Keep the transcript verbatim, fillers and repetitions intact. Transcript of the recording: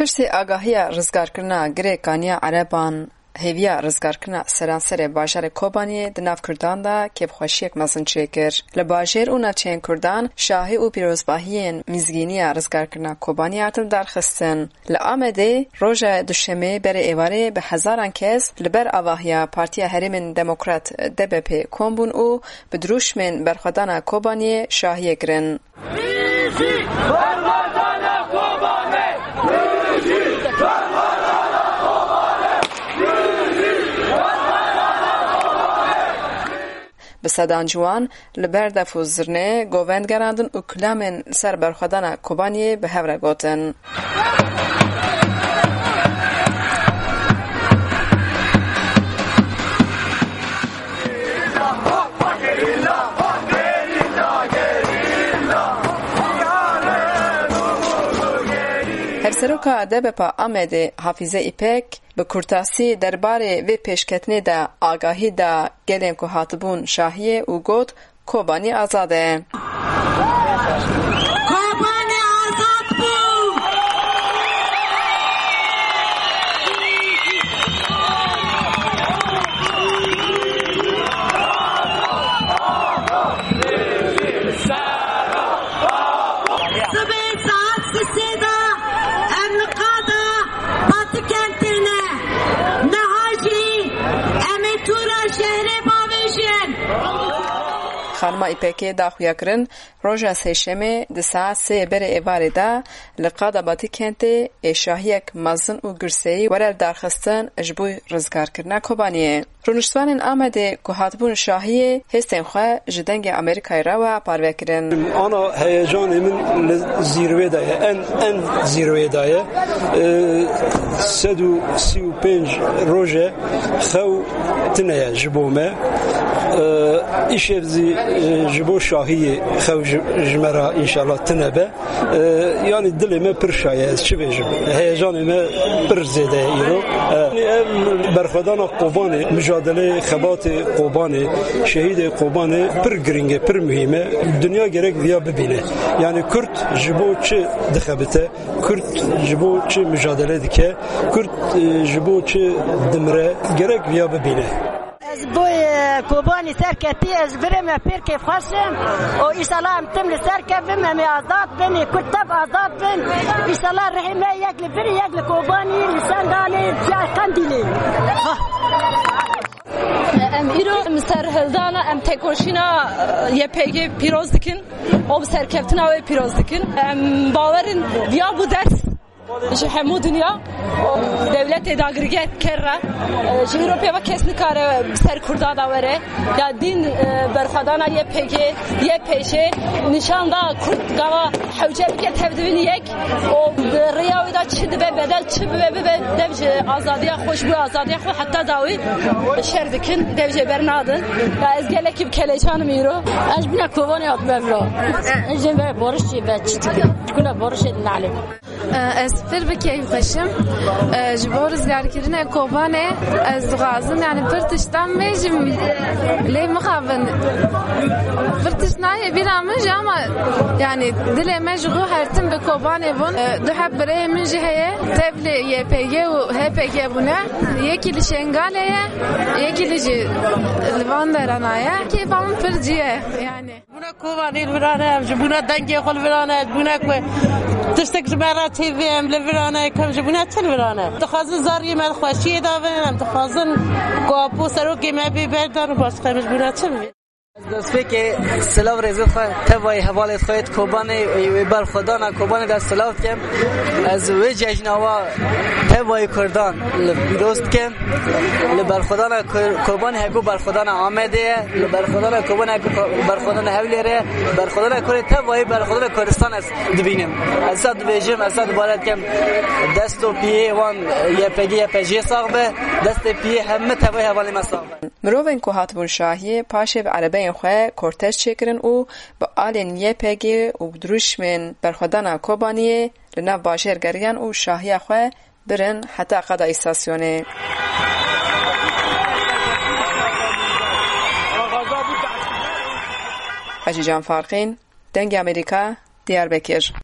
Piştî agahiya rizgarkirina Girê Kaniya Ereban, hêviya rizgarkirina seranserê bajarê Kobaniyê di nav Kurdan de kêfxweşiyek mezin çêkir. Li bajêr û navçeyên Kurdan şahî û pîrozbahiyên mizgîniya rizgarkirina Kobaniyê hatin darxistin. Li Amedê roja Duşemê berê êvarê bi hezaran kes li ber avahiya Partiya Herêmên Demokrat, D B P, kom bûn û bi dirûşmên berxwedana Kobaniyê şahiyê kirin. Bi sedan ciwan li ber def û zirnê govend gerandin û kilamên li ser berxwedana Kobaniyê bi hev re gotin. Hevseroka D B P Amedê Hafize Îpek bi kurtasî derbarê vê pêşketinê de agahî da gelên ku hatibûn şahiyê û got, Kobanî azad e. Kobanî azad bû! Sibê saet sisê de em li qada Batikentê ne. Niha jî em ê tûra şehrê bavêjin. Xanima Îpekê da xuyakirin, roja Sêşemê di saet sê berê êvarê de li qada Batikentê ê şahiyek mezin û girseyî were lidarxistin ji bo rizgarkirina Kobaniyê. Rûniştvanên Amedê ku hatibûn şahiyê hêstên xwe ji Dengê Amerîkayê re wiha parve kirin. Ana heyecanê min li zîrwê de ye, en, en zîrwê de ye. Ee, sed û sî û pênc roje xew tine ye ji bo me. Ee, îşev zî, e, ji bo şahiyê xew ji, ji me re înşallah tine be. E, yanî dilê me pir şa ye, ez çi bêjim? Heyecanê me pir zêde ye îro. E, yanî ev berxwedana Kobanê, mijadeleyê xebatê Kobanê, şehîdê Kobanê pir girîng e, pir muhîm e. Dinya gerek viya bibîne. Yanî Kurd ji bo çi dixebite? Kurd ji bo çi mujadele dike? Kurd, e, ji bo çi dimire? Gerek viya bibîne. Ez bo, e, Kobanî serketî, ez virê me pêr kêfxweş im. Û înşallah em tim li ser kevin, em ê azad bin, ê Kurd tev azad bin. Înşallah rihê me yek li vir, yek li Kobanî, li Şengalê, ya Qendîlê. Em îro em serhildana, em têkoşîna, e, Y P G pîroz dikin. Û bi serkeftina wê pîroz dikin. Em bawer in viya bû ders ji hemû dinya, dewletê dagirker re, ji Ewropê ve kes nikare ser Kurda da were. Ya dîn, e, berxwedana Y P G, Y P J, nîşan da Kurd gava hewce bike tevdibin yek û di rêya wê de çi dibe bedel, çi bibe bibe, dev ji azadiya xwe, ji bo azadiya xwe heta dawî şer dikin, dev jê bernadin. Ya ez gelekî bi keleşan im îro. Ez bûna Kobanê hatime vira. Ez jê ve barişê ve çi dike? Kuna barişê nalê. Ez pir bi keyfxweş im. Ji bo rizgarkirinê Kobanê ez dixwazim, yani, pir tiştan bêjim, lê mixabin. Pir tişt nayê bîra min jî ama, yani, dilê me ji xwe her tim bi Kobanê bûn. Du heb birayê min jî heye, tev li Y P G û H P G bûne. Yekî li Şengalê ye, yekî li jî li van derana ye. Kêfa min pir cî ye, yani. Bûna Kobanê li vir e, em ji bûna dengê xwe li vir e, bûna ku tiştek ji me re tê vê, em li vir e, ku em ji bûna çi li vir e. Dixwazin zariyê me xweşiyê de bin, em dixwazin ku apo serokê me bê berdan û başqa em ji bûna çi li vir. Ez destpêkê silav rêzê xwe tevayî hevalê xwe yê Kobanê, wê berxwedana Kobanê de silav dikim. Ez wê cejna wa tevayî Kurdan li pîroz dikim. Li berxwedana Kur-, Kobanê heko berxwedana Amedê ye, li berxwedana Kobanê heko ko-, berxwedana Hewlêrê ye, berxwedana Kurê tevayî berxwedana Kurdistan ez dibînim. Ez sa dibêjim, ez sa dubare dikim, dest û piyê wan Y P G, Y P J sax be, destê piyê hemî tevayî hevalê me sax be. Mirovên ku hatibûn şahiyê paşê bi erebeyên xwe kortej çêkirin û bi alên Y P G û dirûşmên berxwedana Kobaniyê li nav bajêr geriyan û şahiya xwe birin heta qada îstasyonê. Hecîcan Farqîn, Dengê Amerîka, Diyarbekir.